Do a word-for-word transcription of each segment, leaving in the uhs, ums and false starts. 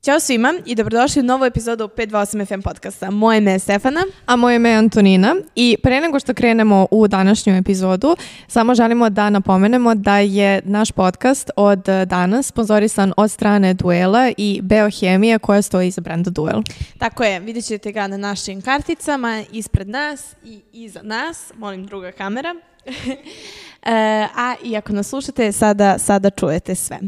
Ćao svima i dobrodošli u novu epizodu pet dva osam F M podcasta. Moje ime je Stefana. A moje ime je Antonina. I pre nego što krenemo u današnju epizodu, samo želimo da napomenemo da je naš podcast od danas sponzorisan od strane Duela i Beohemije koja stoji iza brenda Duel. Tako je, vidjet ćete ga na našim karticama, ispred nas i iza nas. Molim, druga kamera. E, a i ako nas slušate, sada, sada čujete sve.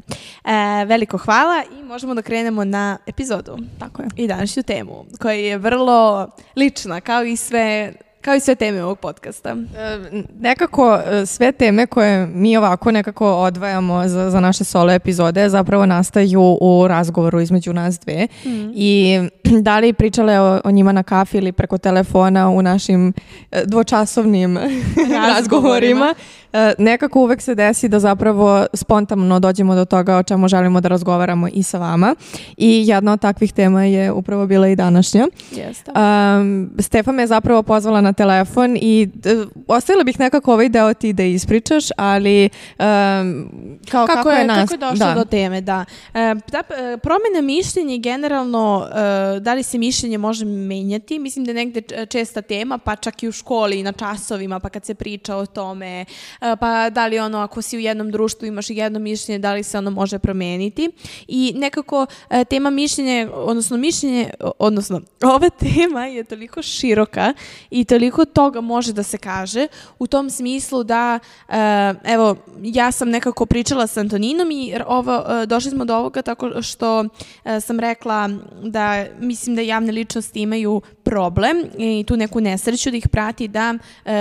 E, veliko hvala i možemo da krenemo na epizodu. Tako je. I današnju temu, koja je vrlo lična, kao i sve... Kao i sve teme ovog podcasta. E, nekako sve teme koje mi ovako nekako odvajamo za, za naše solo epizode zapravo nastaju u razgovoru između nas dve. Mm. I da li pričale o, o njima na kafi ili preko telefona u našim dvočasovnim razgovorima, razgovorima e, nekako uvek se desi da zapravo spontano dođemo do toga o čemu želimo da razgovaramo i sa vama. I jedna od takvih tema je upravo bila i današnja. Jeste. Um, Stefa me je zapravo pozvala na telefon i uh, ostavila bih nekako ovaj deo ti da ispričaš, ali um, kao, kako, kako je, je nas... kako je došlo da. do teme, da. E, da promjena mišljenja generalno, e, da li se mišljenje može menjati, mislim da je negde česta tema, pa čak i u školi i na časovima, pa kad se priča o tome, e, pa da li ono, ako si u jednom društvu imaš jedno mišljenje, da li se ono može promeniti. I nekako e, tema mišljenja, odnosno mišljenje, odnosno ova tema je toliko široka i toliko toga može da se kaže u tom smislu da, uh, evo, ja sam nekako pričala sa Antoninom i ovo, uh, došli smo do ovoga tako što uh, sam rekla da mislim da javne ličnosti imaju problem i tu neku nesreću da ih prati da uh,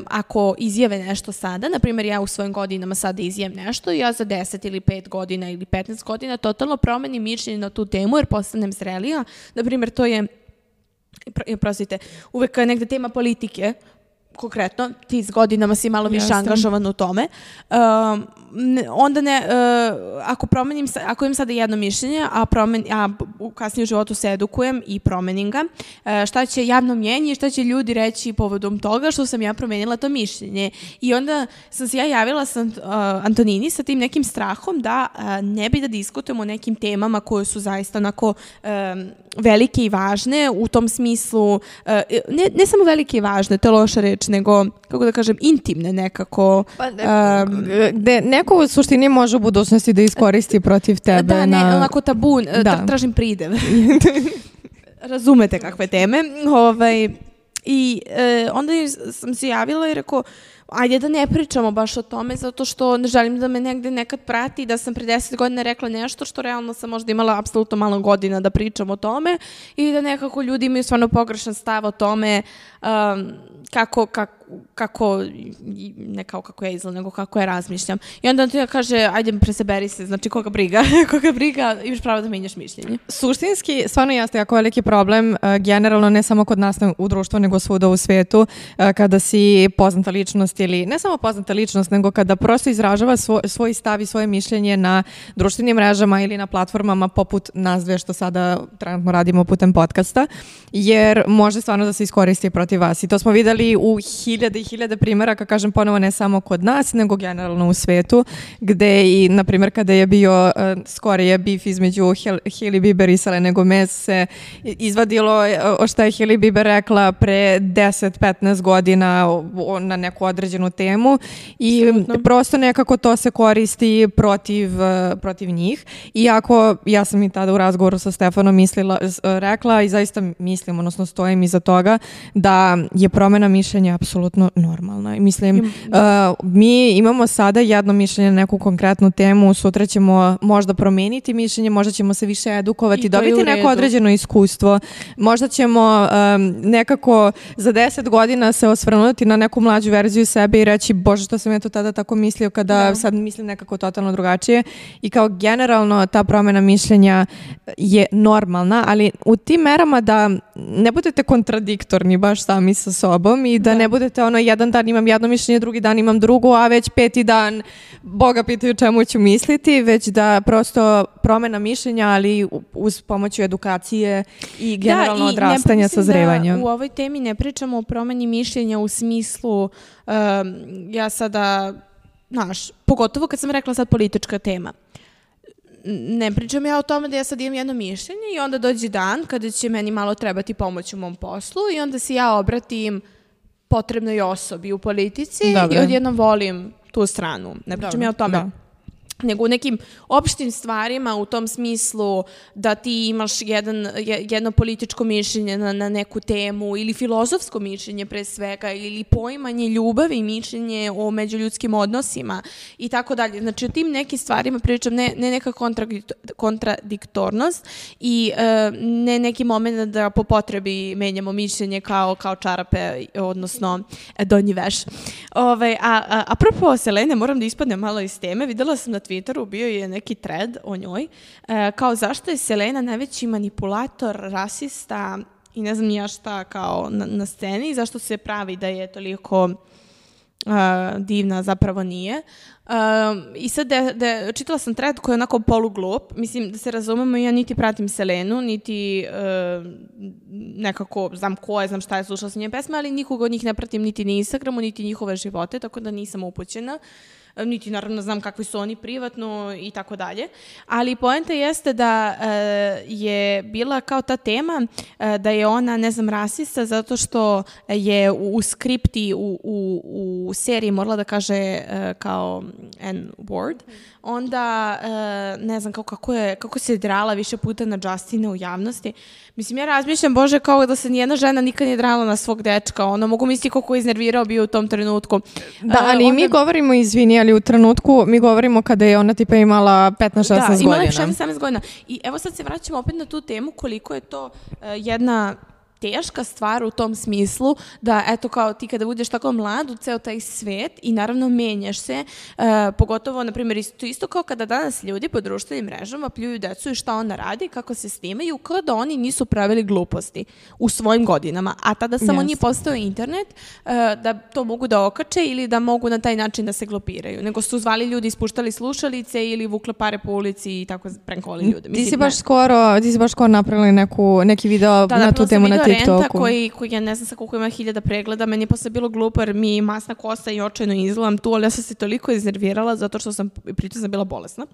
ako izjave nešto sada, na primjer ja u svojim godinama sada izjavam nešto, ja za deset ili pet godina ili petnaest godina totalno promenim mišljenje na tu temu jer postanem zrelija. Na primjer, to je Prostite, uvek je negde tema politike, konkretno, ti s godinama si malo više angažovan u tome, um, ne, onda ne, uh, ako promenim, ako imam sada jedno mišljenje, a, promen, a kasnije u životu se edukujem i promenim ga, uh, šta će javno mnjenje i šta će ljudi reći povodom toga što sam ja promenila to mišljenje. I onda sam se ja javila sa uh, Antonini sa tim nekim strahom da uh, ne bi da diskutujemo o nekim temama koje su zaista onako um, velike i važne, u tom smislu, uh, ne, ne samo velike i važne, to je loša reč, nego, kako da kažem, intimne nekako. Pa, um, gde neko u suštini može u budućnosti da iskoristi protiv tebe. Da, ne, na... onako tabu, da. Tražim pridev. Razumete kakve teme. Ovaj, I e, onda sam se javila i rekao, ajde da ne pričamo baš o tome, zato što ne želim da me negde nekad prati, da sam pre deset godina rekla nešto što realno sam možda imala apsolutno malo godina da pričam o tome i da nekako ljudi imaju stvarno pogrešan stav o tome um, kako, kako, kako, ne kao kako ja izgledam, nego kako ja razmišljam. I onda ti kaže, ajde presaberi se, znači koga briga, koga briga, imaš pravo da menjaš mišljenje. Suštinski, stvarno jeste jako veliki problem, uh, generalno ne samo kod nas u društvu, nego svuda u svetu, uh, kada si poznata ličnost ili ne samo poznata ličnost, nego kada prosto izražava svoj, svoj stav i svoje mišljenje na društvenim mrežama ili na platformama poput nas dve što sada trenutno radimo putem podcasta, jer može stvarno da se iskoristi protiv vas. I to smo videli u hiljade i hiljade primjera, kako kažem ponovo, ne samo kod nas, nego generalno u svetu, gde i, na primjer, kada je bio uh, skorije bif između Hailey Bieber i Selene Gomez se izvadilo uh, šta je Hailey Bieber rekla pre deset petnaest godina uh, na neku određenu temu i Absolutno. Prosto nekako to se koristi protiv, uh, protiv njih. Iako ja sam i tada u razgovoru sa Stefanom mislila, uh, rekla i zaista mislim, odnosno stojim iza toga, da je promjena mišljenja apsolutno normalna. I mislim, uh, mi imamo sada jedno mišljenje na neku konkretnu temu, sutra ćemo možda promijeniti mišljenje, možda ćemo se više edukovati, dobiti neko određeno iskustvo, možda ćemo um, nekako za deset godina se osvrnuti na neku mlađu verziju sebe i reći, bože, što sam ja to tada tako mislio kada da. sad mislim nekako totalno drugačije. I kao generalno ta promjena mišljenja je normalna, ali u tim merama da ne budete kontradiktorni baš sami sa sobom i da, da. ne budete ono jedan dan imam jedno mišljenje, drugi dan imam drugo, a već peti dan Boga pitaju čemu ću misliti, već da prosto promjena mišljenja, ali uz pomoću edukacije i generalno da, i odrastanja, ne, sazrevanja. Da u ovoj temi ne pričamo o promjeni mišljenja u smislu um, ja sada, znaš, pogotovo kad sam rekla sad politička tema. ne pričam ja o tome da ja sad imam jedno mišljenje i onda dođe dan kada će meni malo trebati pomoć u mom poslu i onda se ja obratim potrebnoj osobi u politici Dobre. i odjednom volim tu stranu. Ne pričam Dobre. ja o tome. Da. Nego u nekim opštim stvarima u tom smislu da ti imaš jedan, jedno političko mišljenje na, na neku temu ili filozofsko mišljenje pre svega ili poimanje ljubavi i mišljenje o međuljudskim odnosima i tako dalje. Znači o tim nekim stvarima pričam ne, ne neka kontradiktornost i e, ne neki moment da po potrebi menjamo mišljenje kao, kao čarape, odnosno donji veš. Ove, a, a apropo Selene, moram da ispadnem malo iz teme. Videla sam na Twitteru bio je neki thread o njoj, e, kao zašto je Selena najveći manipulator, rasista i ne znam ni ja šta kao na, na sceni, zašto se pravi da je toliko uh, divna, zapravo nije. Uh, I sad de, de, čitala sam thread koji je onako poluglup, mislim da se razumemo, ja niti pratim Selenu, niti uh, nekako znam ko je, znam šta je, slušala sam njene pesme, ali nikoga od njih ne pratim niti na Instagramu, niti njihove živote, tako da nisam upućena. Niti naravno znam kakvi su oni privatno i tako dalje. Ali poenta jeste da e, je bila kao ta tema e, da je ona, ne znam, rasista zato što je u, u skripti, u, u, u seriji morala da kaže e, kao N word. Onda, e, ne znam, kao kako, je, kako se drala više puta na Justina u javnosti. Mislim, ja razmišljam, Bože, kao da se nijedna žena nikad nije drala na svog dečka. Ono, mogu misliti koliko je iznervirao bio u tom trenutku. Da, ali uh, onda... mi govorimo, izvini, ali u trenutku mi govorimo kada je ona tipa imala petnaest šesnaest godina. Da, imala je šesnaest sedamnaest godina. I evo sad se vraćamo opet na tu temu koliko je to uh, jedna teška stvar u tom smislu da eto kao ti kada budeš tako mlad u ceo taj svet i naravno menjaš se, uh, pogotovo na primjer isto, isto kao kada danas ljudi po društvenim mrežama pljuju decu i šta ona radi, kako se snimaju, kao da oni nisu pravili gluposti u svojim godinama, a tada samo yes. nije postao internet uh, da to mogu da okače ili da mogu na taj način da se glupiraju, nego su zvali ljudi, ispuštali slušalice ili vukle pare po ulici i tako prankovali ljude. Mislim, ti si baš ne. skoro, ti si baš skoro napravili neku, neki video da, na tu temu na Renta koji, koji ja ne znam sa koliko ima hiljada pregleda, meni je posle bilo glupo jer mi masna kosa i očajno izgledam tu, ali ja sam se toliko iznervirala zato što sam, pritom sam bila bolesna.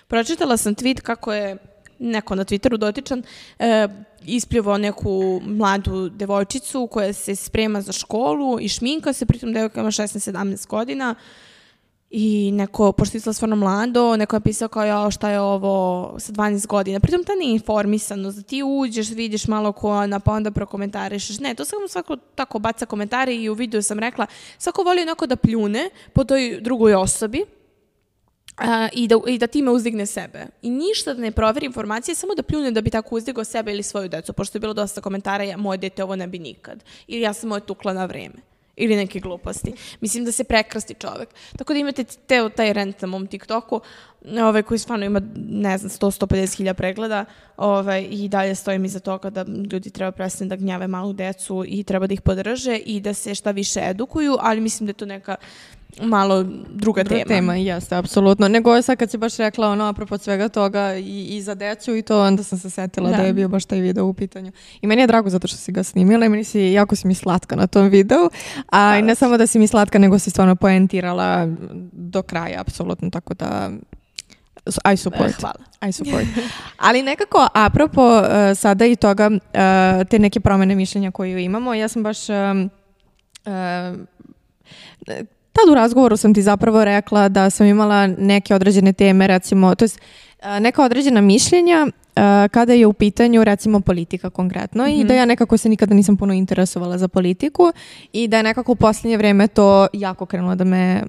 Pročitala sam tweet kako je neko na Twitteru dotičan e, ispljuvao neku mladu devojčicu koja se sprema za školu i šminka se, pritom devojka ima šesnaest sedamnaest godina. I neko, pošto je izgleda stvarno mlado, neko je pisao kao ja, šta je ovo sa dvanaest godina. Pritom ta neinformisanost, da ti uđeš, vidiš malo ko ona, pa onda prokomentarišeš. Ne, to samo svako tako baca komentare i u videu sam rekla, svako voli onako da pljune po toj drugoj osobi a, i, da, i da time uzdigne sebe. I ništa da ne proveri informacije, samo da pljune da bi tako uzdigao sebe ili svoju decu. Pošto je bilo dosta komentara, ja, moje dete ovo ne bi nikad. Ili ja sam moje tukla na vreme. Ili neke gluposti. Mislim da se prekrasti čovek. Tako da imate te, taj rent na mom TikToku, ovaj, koji stvarno ima, ne znam, sto do sto pedeset hiljada pregleda ovaj, i dalje stojim iza toga da ljudi treba prestati da gnjave malu decu i treba da ih podrže i da se šta više edukuju, ali mislim da je to neka malo druga, druga tema. tema, jeste, apsolutno. Nego sad kad si baš rekla ono, apropo svega toga i, i za decu i to, onda sam se setila da. da je bio baš taj video u pitanju. I meni je drago zato što si ga snimila i meni si, jako si mi slatka na tom videu. A da, i ne samo da si mi slatka, nego si stvarno poentirala do kraja, apsolutno, tako da I support. Hvala. I support. Ali nekako, apropo uh, sada i toga, uh, te neke promene mišljenja koje imamo, ja sam baš... Um, uh, Tad u razgovoru sam ti zapravo rekla da sam imala neke određene teme, recimo, to jest neka određena mišljenja kada je u pitanju, recimo, politika konkretno mm-hmm. i da ja nekako se nikada nisam puno interesovala za politiku i da je nekako u posljednje vreme to jako krenulo da me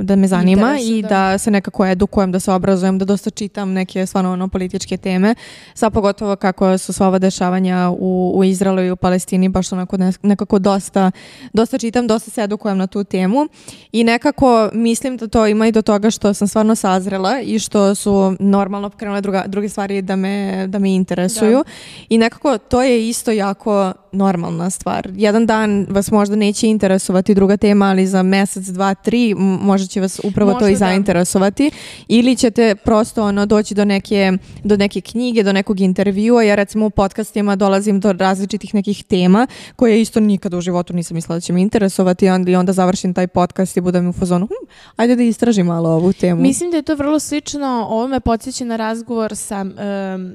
da me zanima Interes, i da. da se nekako edukujem, da se obrazujem, da dosta čitam neke stvarno ono političke teme. Sad pogotovo kako su sva ova dešavanja u, u Izraelu i u Palestini, baš onako nekako dosta, dosta čitam, dosta se edukujem na tu temu i nekako mislim da to ima i do toga što sam stvarno sazrela i što su normalno krenule druga, druge stvari da me, da me interesuju da. I nekako to je isto jako normalna stvar. Jedan dan vas možda neće interesovati druga tema, ali za mesec, dva, tri možda će vas upravo možda to i da. zainteresovati. Ili ćete prosto ono, doći do neke, do neke knjige, do nekog intervjua. Ja recimo u podcastima dolazim do različitih nekih tema koje isto nikada u životu nisam mislila da će me interesovati i onda završim taj podcast i budem u fazonu hm, ajde da istražim malo ovu temu. Mislim da je to vrlo slično, ovo me podsjeća na razgovor sa um,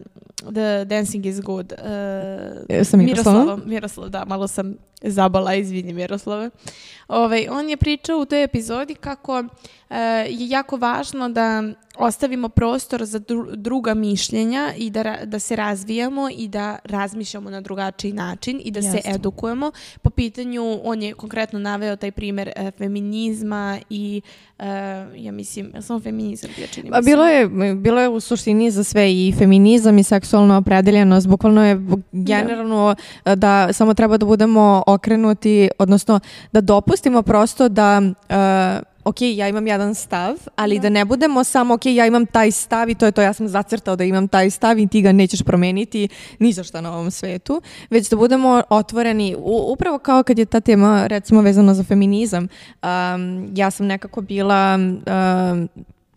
The Dancing is Good. Uh, sa Miroslavom? Miroslav, da, malo sam zabala, izvini Miroslave. Ovaj, on je pričao u toj epizodi kako uh, je jako važno da ostavimo prostor za dru- druga mišljenja i da, ra- da se razvijamo i da razmišljamo na drugačiji način i da Jasne. se edukujemo. Po pitanju, on je konkretno naveo taj primjer uh, feminizma i uh, ja mislim, samo feminizam bio čini mislim. Bilo je, bilo je u suštini za sve i feminizam i seksualna opredeljenost. Bukvalno je generalno da. da samo treba da budemo okrenuti, odnosno da dopustimo prosto da uh, ok, ja imam jedan stav, ali da. da ne budemo samo ok, ja imam taj stav i to je to, ja sam zacrtao da imam taj stav i ti ga nećeš promeniti ni za šta na ovom svetu, već da budemo otvoreni, u, upravo kao kad je ta tema recimo vezana za feminizam. Um, ja sam nekako bila... Um,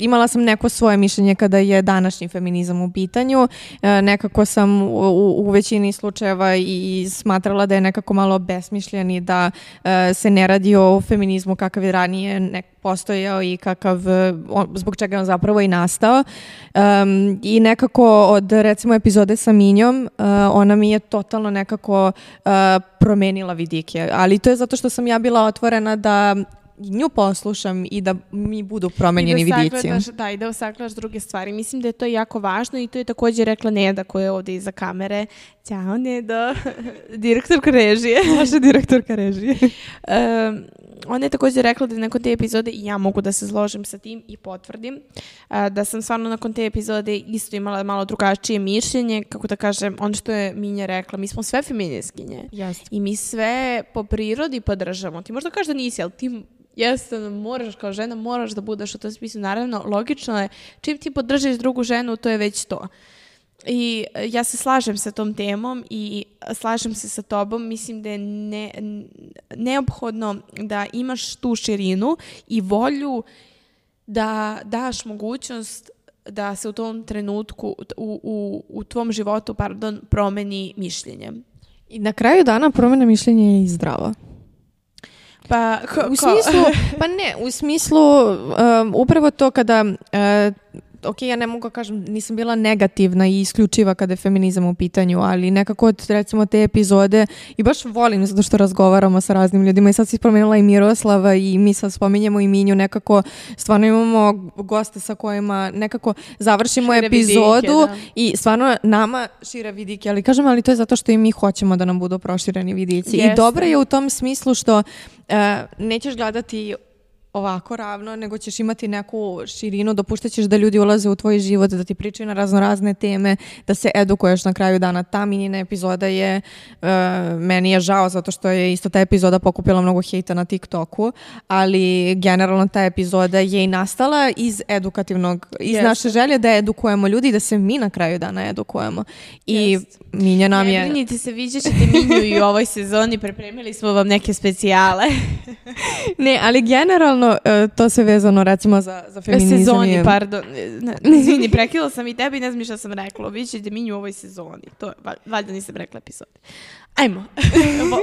Imala sam neko svoje mišljenje kada je današnji feminizam u pitanju. E, nekako sam u, u, u većini slučajeva i, i smatrala da je nekako malo besmišljen i da e, se ne radi o feminizmu kakav je ranije nek postojao i kakav, on, zbog čega je on zapravo i nastao. Um, I nekako od recimo epizode sa Minjom, uh, ona mi je totalno nekako uh, promenila vidike. Ali to je zato što sam ja bila otvorena da nju poslušam i da mi budu promenjeni vidici. Da, i da osagledaš druge stvari. Mislim da je to jako važno i to je također rekla Neda koja je ovdje iza kamere. Ćao Neda, direktorka režije. Naša direktorka režije. um, ona je također rekla da nakon te epizode i ja mogu da se složim sa tim i potvrdim uh, da sam stvarno nakon te epizode isto imala malo drugačije mišljenje, kako da kažem, ono što je Minja rekla, mi smo sve feministkinje. Jasne. I mi sve po prirodi podržamo. Ti možda kažeš da nisi, ali ti jeste, moraš kao žena, moraš da budeš u tom smislu. Naravno, logično je, čim ti podržiš drugu ženu, to je već to. I ja se slažem sa tom temom i slažem se sa tobom. Mislim da je ne, neophodno da imaš tu širinu i volju da daš mogućnost da se u tom trenutku, u, u, u tvom životu, pardon, promeni mišljenje. I na kraju dana promjena mišljenja je i zdrava. Pa, ko, u smislu, pa ne, u smislu um, upravo to kada uh, ok, ja ne mogu kažem, nisam bila negativna i isključiva kada je feminizam u pitanju, ali nekako od recimo te epizode i baš volim zato što razgovaramo sa raznim ljudima i sad si spomenula i Miroslava i mi sad spominjemo i Minju, nekako stvarno imamo goste sa kojima nekako završimo šire epizodu vidike, i stvarno nama šire vidike, ali kažem, ali to je zato što i mi hoćemo da nam budu prošireni vidici. Jeste. I dobro je u tom smislu što uh, nećeš gledati ovako ravno, nego ćeš imati neku širinu, dopuštaćeš da ljudi ulaze u tvoj život, da ti pričaju na razno razne teme, da se edukuješ na kraju dana. Ta Minjina epizoda je, uh, meni je žao zato što je isto ta epizoda pokupila mnogo hejta na TikToku, ali generalno ta epizoda je i nastala iz edukativnog, iz yes. naše želje da edukujemo ljudi i da se mi na kraju dana edukujemo. I yes. Minja nam je... Ne brinite se, vidjet ćete Minju i u ovoj sezoni, pripremili smo vam neke specijale. Ne, ali generalno to se vezano recimo za, za feminizam. Sezoni, je... pardon. Izvini, prekila sam i tebi i ne znam šta sam rekla. Vidjet ćete Minju u ovoj sezoni. To, valjda nisam rekla epizodi. Ajmo,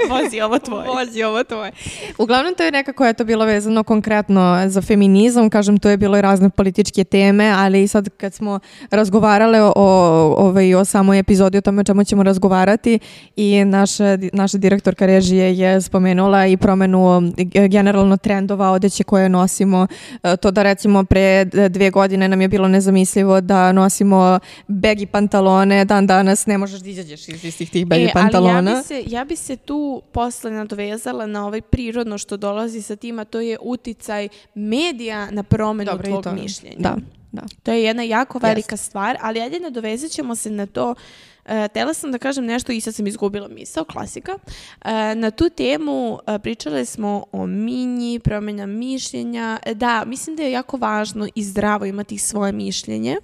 vozi ovo tvoje. Vozi ovo tvoje. Uglavnom to je nekako je to bilo vezano konkretno za feminizam, kažem to je bilo i razne političke teme, ali sad kad smo razgovarale o, ovaj, o samoj epizodi, o tome o čemu ćemo razgovarati i naša, naša direktorka režije je spomenula i promenu generalno trendova odeće koje nosimo, to da recimo pre dve godine nam je bilo nezamislivo da nosimo baggy pantalone, dan danas ne možeš da izađeš iz istih tih baggy e, pantalona. Ja bi, se, ja bi se tu posle nadovezala na ovaj prirodno što dolazi sa tim, a to je uticaj medija na promenu Dobre, tvog mišljenja. Da, da. To je jedna jako velika yes. stvar, ali ajde nadovezat ćemo se na to. Uh, tela sam da kažem nešto i sad sam izgubila misao, klasika. Uh, na tu temu uh, pričale smo o Minji, promjena mišljenja. Uh, da, mislim da je jako važno i zdravo imati svoje mišljenje.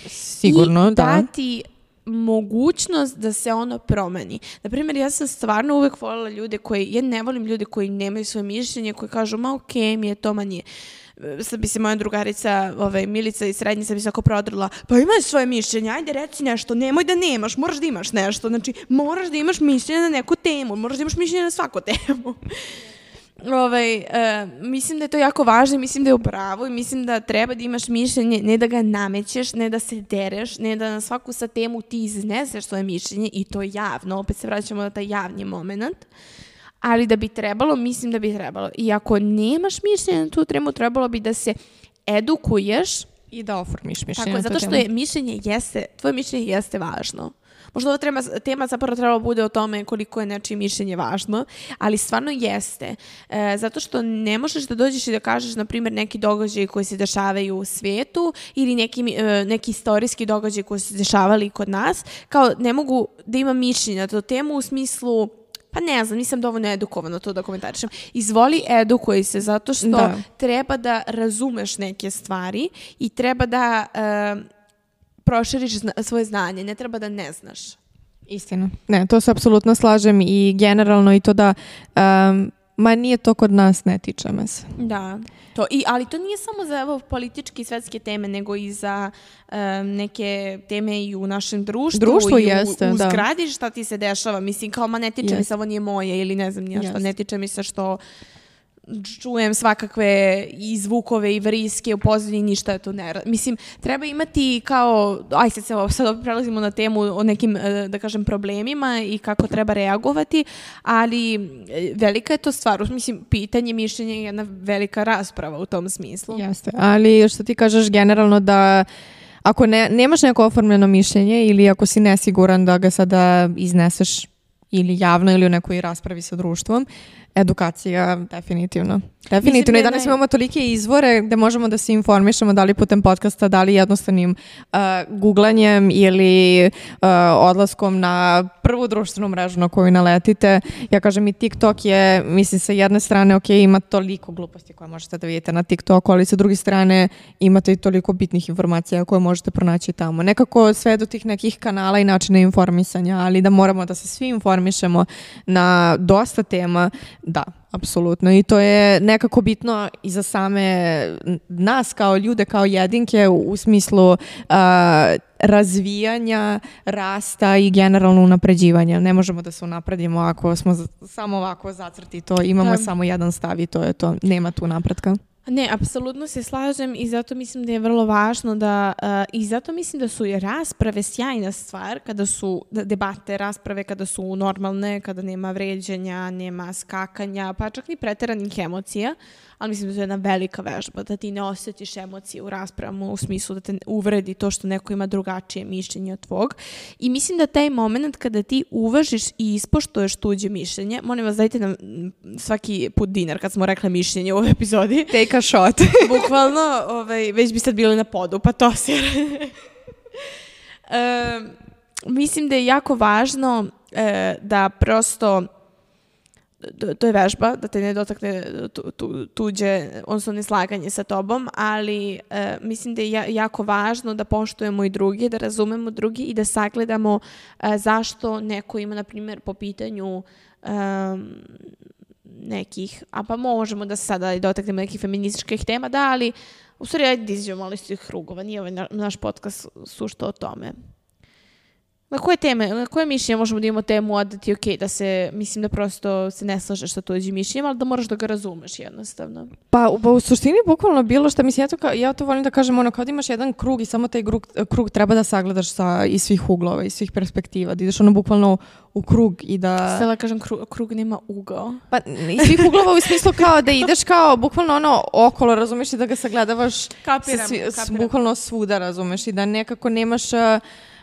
Sigurno, i da. dati mogućnost da se ono promeni. Naprimjer, ja sam stvarno uvek voljela ljude koji, ja ne volim ljude koji nemaju svoje mišljenje, koji kažu, ma okej okay, mi je to, ma nije. Sad bi se moja drugarica, ovaj, Milica iz srednje, sad bi se oko prodrla, pa imaj svoje mišljenje, ajde reci nešto, nemoj da nemaš, moraš da imaš nešto, znači moraš da imaš mišljenje na neku temu, moraš da imaš mišljenje na svaku temu. Ovaj, e, mislim da je to jako važno, mislim da je u pravu i mislim da treba da imaš mišljenje, ne da ga namećeš, ne da se dereš, ne da na svaku sa temu ti izneseš svoje mišljenje i to javno, opet se vraćamo na taj javni moment, ali da bi trebalo, mislim da bi trebalo. I ako nemaš mišljenje na tu temu, trebalo bi da se edukuješ i da oformiš mišljenje. Tako, zato što je mišljenje jeste, tvoje mišljenje jeste važno. Možda ova tema, tema zapravo trebalo bude o tome koliko je nečije mišljenje važno, ali stvarno jeste. E, zato što ne možeš da dođeš i da kažeš, na primjer, neki događaj koji se dešavaju u svijetu ili neki, e, neki istorijski događaj koji se dešavali kod nas, kao ne mogu da imam mišljenje na tu temu u smislu, pa ne znam, nisam dovoljno edukovana to da komentarišem. Izvoli, edukuj se, zato što da. treba da razumeš neke stvari i treba da e, proširiš zna, svoje znanje, ne treba da ne znaš. Istina. Ne, to se apsolutno slažem i generalno i to da um, ma nije to kod nas, ne tiče me se. Da, to, i, ali to nije samo za evo, političke i svetske teme, nego i za um, neke teme i u našem društvu. Društvo i u, jeste, u da. zgradi šta ti se dešava. Mislim, kao, ma ne tiče yes. mi se, ovo nije moje ili ne znam nije što, ne tiče mi se što čujem svakakve i zvukove i vriske u pozadini, ništa je to ne. Mislim, treba imati kao, aj sad se sad prelazimo na temu o nekim, da kažem, problemima i kako treba reagovati, ali velika je to stvar. Mislim, pitanje, mišljenje je jedna velika rasprava u tom smislu. Jeste, ali što ti kažeš generalno da ako ne, nemaš neko oformljeno mišljenje ili ako si nesiguran da ga sada izneseš ili javno ili u nekoj raspravi sa društvom, edukacija definitivno. Definitivno. I danas naj... imamo tolike izvore gde možemo da se informišemo, da li putem podcasta, da li jednostavnim uh, googlanjem ili uh, odlaskom na prvu društvenu mrežu na koju naletite. Ja kažem i TikTok je, mislim, sa jedne strane, ok, ima toliko gluposti koje možete da vidite na TikToku, ali sa druge strane imate i toliko bitnih informacija koje možete pronaći tamo. Nekako sve do tih nekih kanala i načina informisanja, ali da moramo da se svi informišemo na dosta tema, da, apsolutno. I to je nekako bitno i za same nas kao ljude, kao jedinke u, u smislu uh, razvijanja, rasta i generalno unapređivanja. Ne možemo da se unapredimo ako smo z- samo ovako zacrti to. Imamo da. samo jedan stav i to je to. Nema tu napretka. Ne, apsolutno se slažem i zato mislim da je vrlo važno da, uh, i zato mislim da su i rasprave sjajna stvar, kada su debate, rasprave kada su normalne, kada nema vređanja, nema skakanja, pa čak ni preteranih emocija, ali mislim da to je jedna velika vežba, da ti ne osjetiš emocije u raspravama u smislu da te uvredi to što neko ima drugačije mišljenje od tvog. I mislim da taj moment kada ti uvažiš i ispoštuješ tuđe mišljenje, molim vas dajte nam svaki put dinar kad smo rekli mišljenje u ovoj epizodi. Take a shot. Bukvalno, ovaj, već bi sad bili na podu, pa to se... e, mislim da je jako važno e, da prosto to je vežba, da te ne dotakne tu, tu, tuđe, odnosno neslaganje sa tobom, ali e, mislim da je ja, jako važno da poštujemo i drugi, da razumemo drugi i da sagledamo e, zašto neko ima, na primjer, po pitanju e, nekih, a pa možemo da se sada dotaknemo nekih feminističkih tema, da, ali u stvari ajde da izađemo malo iz tih krugova, nije ovaj naš podcast sušto o tome. Na koje teme, na koje mišljenje možemo da imamo temu, a da ti je okej, da se, mislim da prosto se ne slažeš sa tuđim mišljenjem, ali da moraš da ga razumeš jednostavno. Pa, pa u suštini bukvalno bilo što, mislim, ja to, ka, ja to volim da kažem, ono, kao da imaš jedan krug i samo taj krug, krug treba da sagledaš sa, iz svih uglova, iz svih perspektiva, da ideš ono bukvalno u krug i da... Stela kažem, krug, krug nema ugao. Pa, iz svih uglova u smislu kao da ideš kao bukvalno ono okolo, razumeš, i da ga sagledavaš kapiram, svi, kapiram. bukvalno svuda, razumeš, i da nekako nemaš...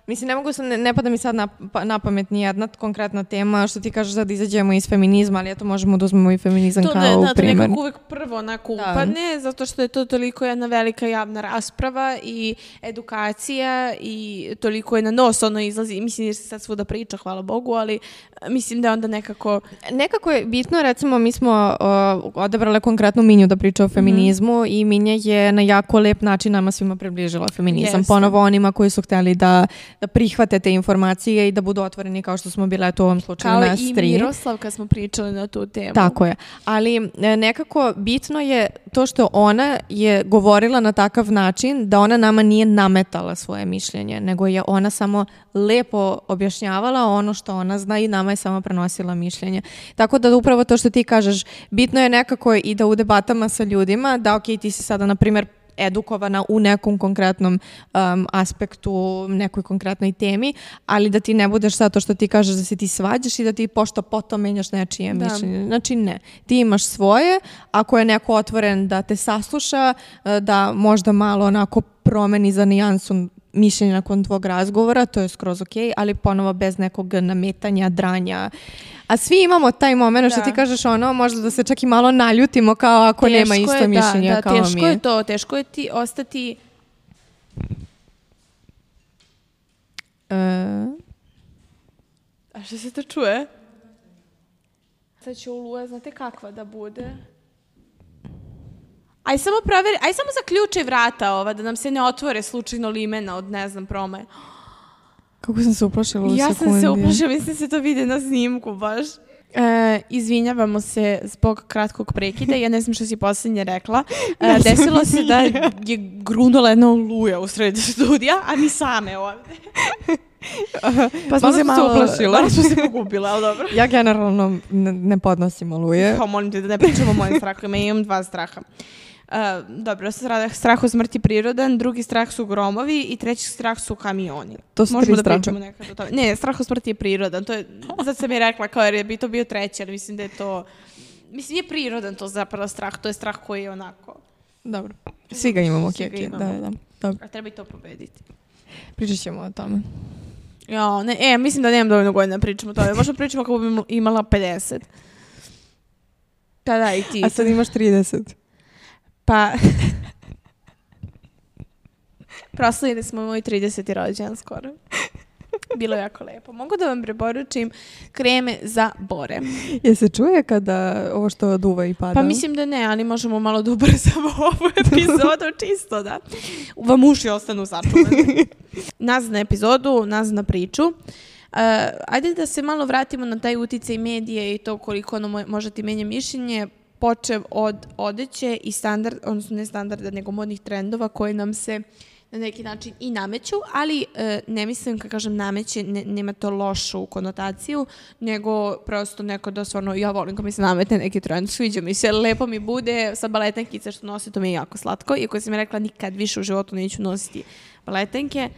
Mislim, ne mogu se, ne, ne pada mi sad na, na pamet ni jedna konkretna tema, što ti kažeš da izađemo iz feminizma, ali eto možemo da uzmemo i feminizam to kao ne, u da, primjer. To nekako uvek prvo onako upadne, zato što je to toliko jedna velika javna rasprava i edukacija i toliko je na nos ono izlazi. Mislim, jer se sad svuda priča, hvala Bogu, ali mislim da onda nekako... Nekako je bitno, recimo, mi smo uh, odabrale konkretnu Minju da priča o feminizmu mm-hmm. i Minja je na jako lep način nama svima približila feminizam. Yes. Ponovo onima koji su hteli da da prihvate te informacije i da budu otvoreni kao što smo bile u ovom slučaju nas tri. Kao i Miroslav kad smo pričali na tu temu. Tako je. Ali nekako bitno je to što ona je govorila na takav način da ona nama nije nametala svoje mišljenje, nego je ona samo lepo objašnjavala ono što ona zna i nama je samo prenosila mišljenje. Tako da upravo to što ti kažeš, bitno je nekako i da u debatama sa ljudima, da ok, ti si sada, na primjer, edukovana u nekom konkretnom um, aspektu, nekoj konkretnoj temi, ali da ti ne budeš zato što ti kažeš da se ti svađaš i da ti pošto potom menjaš nečije da. mišljenje. Znači ne. Ti imaš svoje, ako je neko otvoren da te sasluša, da možda malo onako promeni za nijansu mišljenje nakon tvog razgovora, to je skroz ok, ali ponovo bez nekog nametanja, dranja. A svi imamo taj moment što ti kažeš ono, možda da se čak i malo naljutimo kao ako teško nema isto je, mišljenja da, da, kao mi. Teško je to, teško je ti ostati... Uh... A što se to čuje? Sad će Oluja, znate kakva da bude? Aj samo proveri, aj samo zaključaj vrata ova, da nam se ne otvore slučajno limena od ne znam promaje. Kako sam se uplašila u ja sekundi. Ja sam se uplašila, mislim se to vidi na snimku baš. E, izvinjavamo se zbog kratkog prekida, ja ne znam što si posljednje rekla. E, desilo se da je grunula jedna Oluja u sredi studija, a mi same ovdje. Pa smo se malo uplašila. Malo smo se pogubila, ali dobro. Ja generalno ne, ne podnosim Oluje. Pa molim te da ne pričamo o mojim strahovima, ja imam dva straha. Uh, dobro, strah od smrti prirodan, drugi strah su gromovi i treći strah su kamioni. To su Možemo tri da pričamo nekad o tome. Ne, strah od smrti je prirodan. To je, zato sam je rekla kao jer bi to bio treći, ali mislim da je to... Mislim, je prirodan to zapravo strah. To je strah koji je onako... Dobro. Svi ga imamo. Svi ga imamo. Da, da. Dobro. A treba i to pobediti. Pričat ćemo o tome. Jo, ne, e, mislim da nemam dovoljno godina pričamo o tome. Možda pričamo kako bi imala pedeset. Pa da, i ti. A sad imaš trideset. Pa, proslavili smo moj trideseti rođendan skoro. Bilo je jako lepo. Mogu da vam preporučim kreme za bore. Je se čuje kada ovo što duva i pada? Pa mislim da ne, ali možemo malo da ubrzamo ovu epizodu čisto da vam uši ostanu sačuvani. Nazad na epizodu, nazad na priču. Uh, ajde da se malo vratimo na taj uticaj medije i to koliko ono može ti menja mišljenje. Počev od odeće i standard, odnosno ne standarda, nego modnih trendova koje nam se na neki način i nameću, ali e, ne mislim, kad kažem nameće, ne, nema to lošu konotaciju, nego prosto neko da stvarno, ja volim kad mi se nametne neki trend, sviđa mi se, lepo mi bude, sa baletenkice što nosi, to mi je jako slatko, iako sam mi rekla nikad više u životu neću nositi baletenke,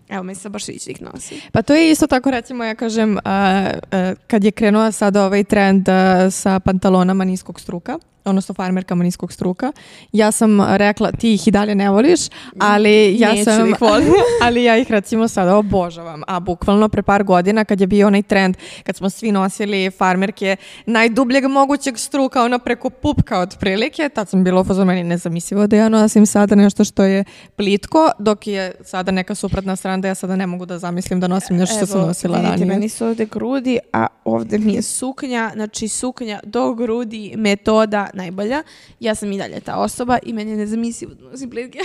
evo mi se baš ići da ih nosi. Pa to je isto tako, recimo, ja kažem, a, a, kad je krenuo sada ovaj trend a, sa pantalonama niskog struka, odnosno farmerkama niskog struka, ja sam rekla, ti ih i dalje ne voliš, ali ja Neću sam, da ih volim. ali ja ih recimo sada obožavam. A bukvalno pre par godina kad je bio onaj trend, kad smo svi nosili farmerke najdubljeg mogućeg struka, ono preko pupka otprilike, tad sam bila u fazonu, meni nezamislivo da ja nosim sada nešto što je plitko, dok je sada neka suprotna strana da ja sada ne mogu da zamislim da nosim nešto što sam nosila ranije. Evo, vidite, meni su ovde grudi, a ovde mi je suknja, znači suknja do grudi, metoda najbolja. Ja sam i dalje ta osoba i meni je nezamislivo da nosim plitke.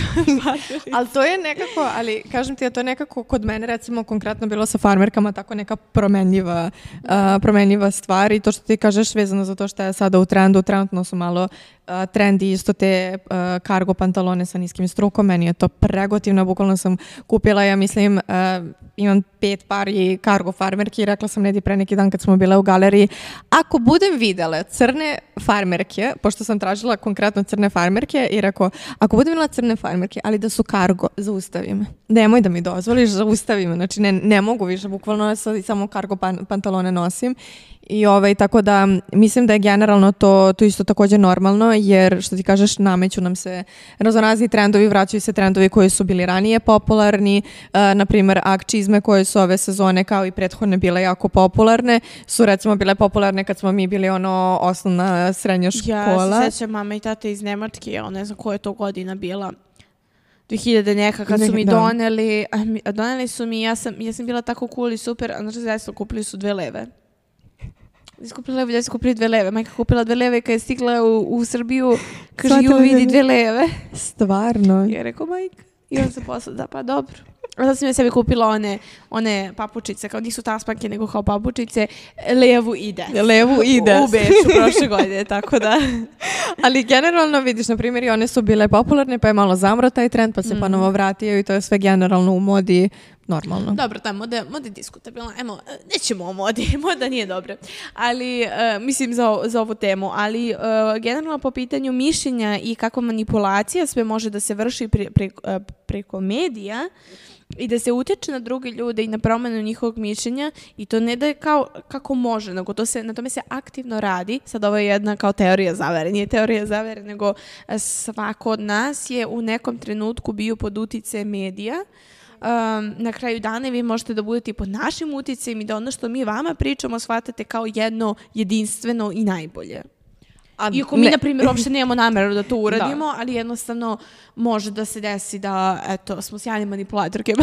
Ali to je nekako, ali kažem ti, to je nekako kod mene recimo konkretno bilo sa farmerkama tako neka promenljiva, uh, promenljiva stvar i to što ti kažeš vezano za to što je sada u trendu, trenutno su malo uh, trendi isto te uh, kargo pantalone sa niskim strukom, meni je to pregotivno, bukvalno sam kupila, ja mislim, uh, imam pet pari kargo farmerki i rekla sam Nedi pre neki dan kad smo bile u galeriji, ako budem videla crne farmerke, pošto sam tražila konkretno crne farmerke i rekao, ako budem videla crne farmerke, ali da su kargo, zaustavi me. Nemoj da mi dozvoliš, zaustavi me. Znači ne, ne mogu više, bukvalno samo kargo pan, pantalone nosim. I ovaj, tako da mislim da je generalno to, to isto također normalno, jer što ti kažeš, nameću nam se raznorazni trendovi, vraćaju se trendovi koji su bili ranije popularni, uh, na primjer Ag čizme koje su ove sezone kao i prethodne bile jako popularne, su recimo bile popularne kad smo mi bili ono osnovna srednja škola. Ja se sjećam mama i tate iz Nemačke, ja ne znam koja je to godina bila. dve hiljade neka kad su mi doneli, a mi, a doneli su mi, ja sam, ja sam bila tako cool i super, a znači zaista kupili su dve leve. Skupila levu, ja sam kupila dve leve. Majka kupila dve leve kad je stigla u, u Srbiju, kaže ju vidi dve leve. Stvarno? Ja rekao majka. I on se posla, da pa dobro. A sad sam ja sebi kupila one, one papučice, kao nisu tasmanke, nego kao papučice, levu i desnu. Levu i desnu. U Beču prošle godine, tako da. Ali generalno vidiš, na primjer, i one su bile popularne, pa je malo zamro taj trend, pa se mm. ponovo vratio i to je sve generalno u modi normalno. Dobro, ta moda, moda je diskutabilna. Emo, nećemo o modi, moda nije dobra. Ali, uh, mislim, za, za ovu temu. Ali, uh, generalno po pitanju mišljenja i kakva manipulacija sve može da se vrši pre, pre, uh, preko medija i da se utječe na druge ljude i na promjenu njihovog mišljenja i to ne da je kao kako može, nego to se, na tome se aktivno radi. Sad ovo je jedna kao teorija zavere, nije teorija zavere, nego svako od nas je u nekom trenutku bio pod uticajem medija. Um, na kraju dana vi možete da budete pod našim uticajem i da ono što mi vama pričamo shvatate kao jedno jedinstveno i najbolje. A iako mi, ne. na primjer, uopšte nemamo nameru da to uradimo, da. ali jednostavno može da se desi da, eto, smo sjajne manipulatorke.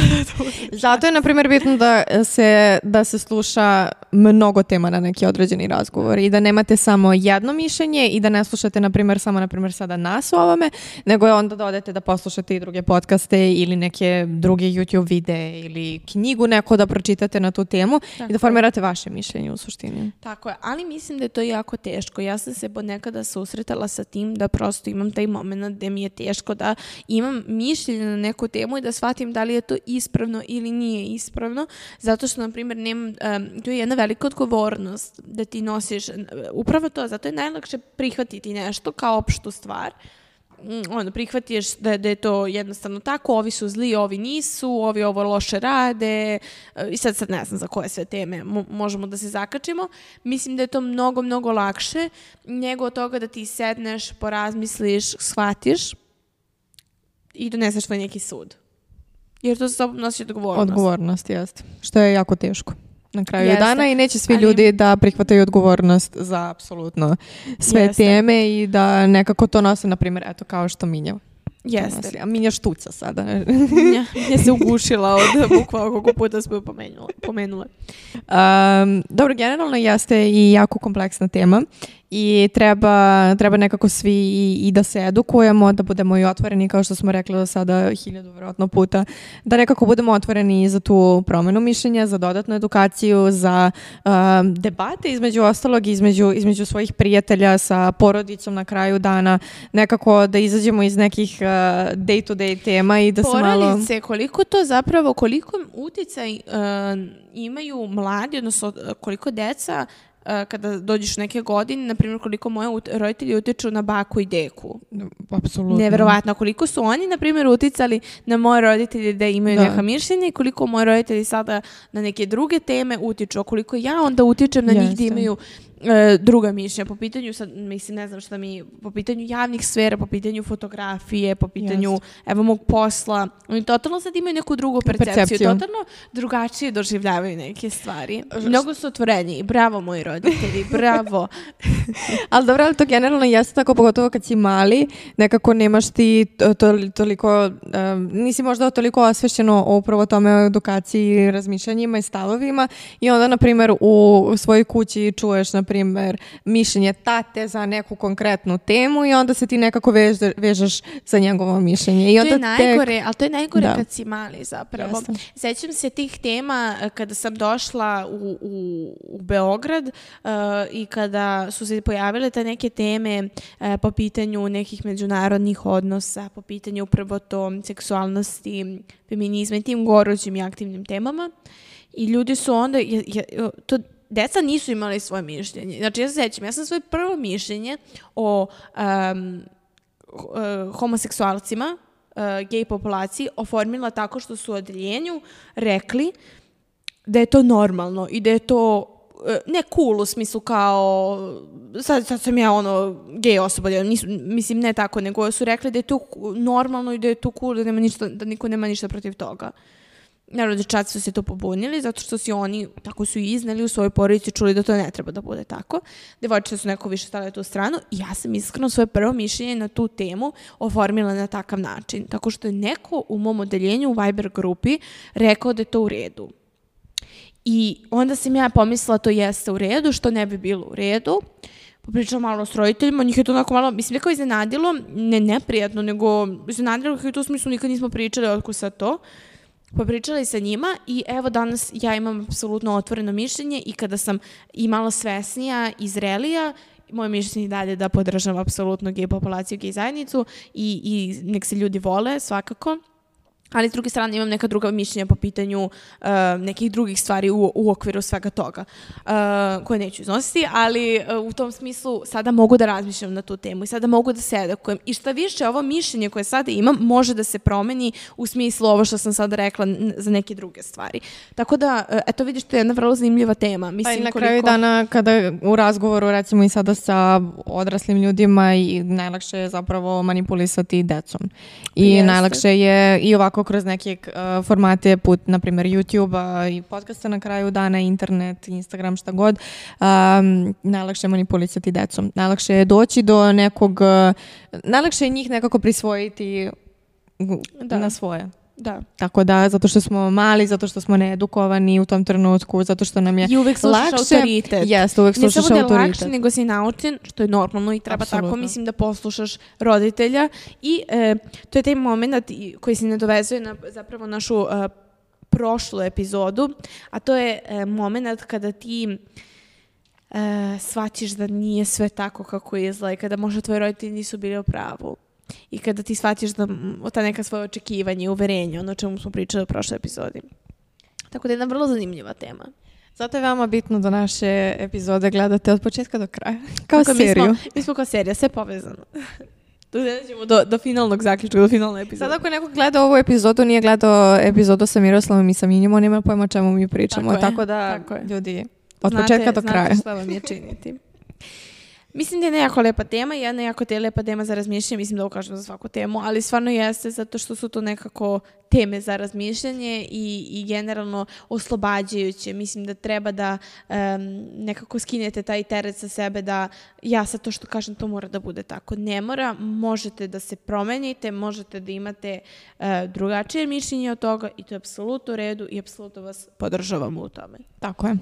Zato je, na primjer, bitno da se, da se sluša mnogo tema na neki određeni razgovor i da nemate samo jedno mišljenje i da ne slušate, na primjer, samo, na primjer, sada nas u ovome, nego je onda da odete da poslušate i druge podcaste ili neke druge YouTube videe ili knjigu neko da pročitate na tu temu Tako i da formirate vaše mišljenje u suštini. Tako je, ali mislim da je to jako teško. Ja sam se ponekada susretala sa tim da prosto imam taj moment gde mi je teško da imam mišljenje na neku temu i da shvatim da li je to ispravno ili nije ispravno, zato što, na primjer, nemam, um, to je jedna velika odgovornost da ti nosiš upravo to, zato je najlakše prihvatiti nešto kao opštu stvar. Ono, prihvatiš da, da je to jednostavno tako, ovi su zli, ovi nisu, ovi ovo loše rade i sad, sad ne znam za koje sve teme mo- možemo da se zakačimo. Mislim da je to mnogo, mnogo lakše nego od toga da ti sedneš, porazmisliš, shvatiš i doneseš tvoj neki sud. Jer to sa sobom nosi odgovornost. Odgovornost, jeste. Što je jako teško na kraju Jeste. dana i neće svi Ali... ljudi da prihvataju odgovornost za apsolutno sve Jeste. teme i da nekako to nose, na primjer, eto kao što Minja. Jeste. A Minja štuca sada. Minja, Minja se ugušila od bukva koliko puta smo pomenula. pomenula. Um, dobro, generalno jeste i jako kompleksna tema i treba, treba nekako svi i, i da se edukujemo, da budemo i otvoreni, kao što smo rekli do sada hiljadu vjerojatno puta, da nekako budemo otvoreni za tu promjenu mišljenja, za dodatnu edukaciju, za um, debate između ostalog, između, između svojih prijatelja sa porodicom na kraju dana, nekako da izađemo iz nekih uh, day-to-day tema i da se malo... Porodice, koliko to zapravo, koliko uticaj uh, imaju mladi, odnosno koliko deca kada dođeš neke godine, na primjer koliko moje ut- roditelji utiču na baku i deku. Apsolutno. Neverovatno. Koliko su oni, na primjer, uticali na moje roditelje da imaju da. neka mišljenja i koliko moji roditelji sada na neke druge teme utiču. A koliko ja onda utičem na Jeste. njih da imaju e, druga mišljenja. Po pitanju, sad, mislim, ne znam šta mi, po pitanju javnih sfera, po pitanju fotografije, po pitanju, Jeste. evo, mog posla. Oni totalno sad imaju neku drugu percepciju. percepciju. Totalno drugačije doživljavaju neke stvari. Mnogo su otvoreniji. Bravo, moji roditelji, bravo. Ali dobro, ali to generalno jeste tako, pogotovo kad si mali, nekako nemaš ti to, to, toliko, um, nisi možda toliko osvešćeno o upravo tome o edukaciji, razmišljanjima i stavovima i onda, na primjer, u, u svojoj kući čuješ, na primjer, mišljenje tate za neku konkretnu temu i onda se ti nekako veže, vežeš za njegovo mišljenje. I onda to je najgore, tek... ali to je najgore da. kad si mali zapravo. Jeste. Sećam se tih tema kada sam došla u, u, u Beograd uh, i kada su se pojavile te neke teme uh, po pitanju nekih međunarodnih odnosa, po pitanju upravo to seksualnosti, feminizma i tim gorućim i aktivnim temama. I ljudi su onda, je, je, to deca nisu imali svoje mišljenje. Znači, ja se sećam, ja sam svoje prvo mišljenje o um, uh, homoseksualcima, uh, gej populaciji, oformila tako što su u odeljenju rekli da je to normalno i da je to ne cool u smislu kao sad, sad sam ja ono gej osoba, nisu, mislim ne tako, nego su rekli da je to normalno i da je to cool, da, nema ništa, da niko nema ništa protiv toga. Naravno, dečaci su se to pobunili zato što si oni, tako su i izneli u svojoj porodici, čuli da to ne treba da bude tako. Devojčice su neko više stavile tu stranu i ja sam iskreno svoje prvo mišljenje na tu temu oformila na takav način. Tako što je neko u mom odeljenju u Viber grupi rekao da je to u redu. I onda sam ja pomislila to jeste u redu, što ne bi bilo u redu. Popričala malo s roditeljima, njih je to onako malo, mislim, nekako iznenadilo, ne neprijatno, nego iznenadilo kako je to u smislu, nikad nismo pričali otko sa to. popričali sa njima i evo danas ja imam apsolutno otvoreno mišljenje i kada sam i malo svesnija i zrelija, moje mišljenje dalje da podržam apsolutno gej populaciju, gej zajednicu i, i nek se ljudi vole svakako. Ali s druge strane imam neka druga mišljenja po pitanju uh, nekih drugih stvari u, u okviru svega toga, uh, koje neću iznositi, ali uh, u tom smislu sada mogu da razmišljam na tu temu i sada mogu da se edukujem. I šta više, ovo mišljenje koje sada imam može da se promeni u smislu ovo što sam sada rekla n- za neke druge stvari. Tako da, uh, eto vidiš, to je jedna vrlo zanimljiva tema. Mislim, pa i na koliko... kraju dana kada u razgovoru recimo i sada sa odraslim ljudima i najlakše je zapravo manipulisati decom. I Jeste. najlakše je i ovako kroz neke uh, formate put, na primjer YouTube-a i podcasta na kraju dana, internet, Instagram, šta god, um, najlakše je manipulisati decom. Najlakše je doći do nekog, uh, najlakše je njih nekako prisvojiti Da. na svoje. Da. Tako da, zato što smo mali, zato što smo needukovani u tom trenutku, zato što nam je I uvek slušaš lakše, autoritet. Jeste, uvek slušaš ne samo da je autoritet. lakše, nego si naučen, što je normalno i treba Apsolutno. tako, mislim, da poslušaš roditelja. I e, to je taj moment koji se nadovezuje na zapravo našu e, prošlu epizodu, a to je e, moment kada ti e, shvatiš da nije sve tako kako izgleda i kada možda tvoji roditelji nisu bili u pravu. I kada ti shvatiš da ta neka svoje očekivanje i uverenje, ono o čemu smo pričali u prošloj epizodi. Tako da je jedna vrlo zanimljiva tema. Zato je veoma bitno da naše epizode gledate od početka do kraja. Kao Tako, seriju. Mi smo, mi smo kao serija, sve povezano. Tu dođemo do, do finalnog zaključka, do finalne epizode. Sad ako neko gleda ovu epizodu, nije gledao epizodu sa Miroslavom i sa Minjom, on nema pojma o čemu mi pričamo. Tako je, Tako da, tako je. ljudi, od Znate- početka do kraja. Znate šta vam je činiti. Mislim da je jako lepa tema i jedna jako te lepa tema za razmišljanje, mislim da ukažem za svaku temu, ali stvarno jeste zato što su to nekako teme za razmišljanje i, i generalno oslobađajuće. Mislim da treba da um, nekako skinete taj teret sa sebe da ja sad to što kažem to mora da bude tako. Ne mora, možete da se promenite, možete da imate uh, drugačije mišljenje od toga i to je apsolutno u redu i apsolutno vas podržavamo u tome. Tako je.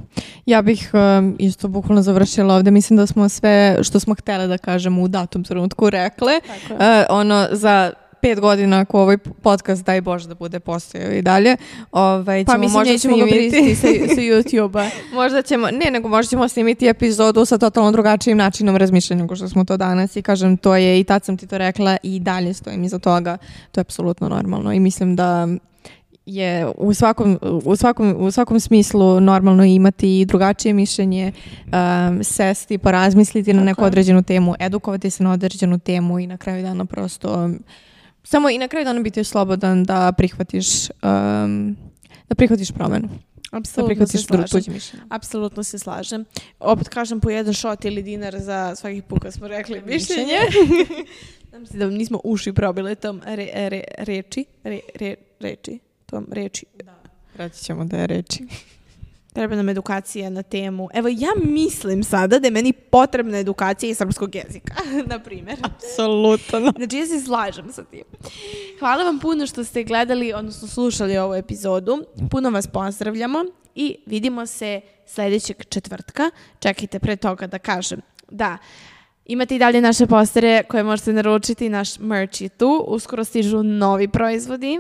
Ja bih um, isto bukvalno završila ovde. Mislim da smo sve što smo htjele da kažemo u datom trenutku rekle. Tako je. Uh, ono, za pet godina ako ovaj podcast, daj Bože da bude postojao i dalje, ovaj, Pa ćemo mislim možda nećemo ga snimiti. pristiti sa, sa YouTube-a. Možda ćemo, ne, nego možda ćemo snimiti epizodu sa totalno drugačijim načinom razmišljanja nego što smo to danas i kažem, to je, i tad sam ti to rekla i dalje stojim iza toga, to je apsolutno normalno i mislim da je u svakom, u svakom, u svakom smislu normalno imati i drugačije mišljenje, um, sesti, porazmisliti na neku Tako je. određenu temu, edukovati se na određenu temu i na kraju dana prosto samo i na kraju dana biti slobodan da prihvatiš um, da prihvatiš promenu. Da Apsolutno se prihvatiš dru- slažem. tuđe mišljenje. Apsolutno se slažem. Opet kažem po jedan šot ili dinar za svaki put kad smo rekli mišljenje. Znam se da nismo uši probile tom re, re, reči. Re, re, reči. Tom reči. Reći ćemo da je reči. Treba nam edukacija na temu. Evo, ja mislim sada da je meni potrebna edukacija iz srpskog jezika, na primjer. Apsolutno. Znači, ja se slažem sa tim. Hvala vam puno što ste gledali, odnosno slušali ovu epizodu. Puno vas pozdravljamo i vidimo se sljedećeg četvrtka. Čekajte pre toga da kažem da imate i dalje naše postere koje možete naručiti. Naš merch je tu. Uskoro stižu novi proizvodi.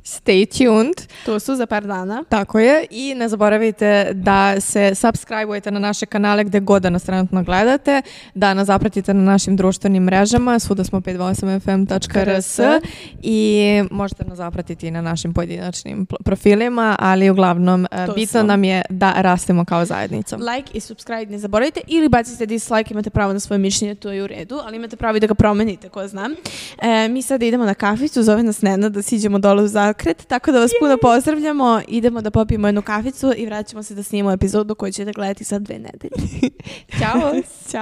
Stay tuned. Tu su za par dana. Tako je. I ne zaboravite da se subscribe-ujete na naše kanale gde god da nas trenutno gledate, da nas zapratite na našim društvenim mrežama, svuda smo pet osam f m tačka r s i možete nas zapratiti i na našim pojedinačnim pl- profilima, ali uglavnom e, To bitno su. nam je da rastemo kao zajednica. Like i subscribe ne zaboravite ili bacite dislike, imate pravo na svoje mišljenje, to je u redu, ali imate pravo i da ga promenite, ko znam. E, mi sada idemo na kaficu, zove nas Nena da siđemo dole u zakret, tako da vas puno pozdravljamo, idemo da popijemo jednu kaficu i vraćamo se da snimamo epizodu koju ćete gledati sad dve nedelje. Ćao! Ćao!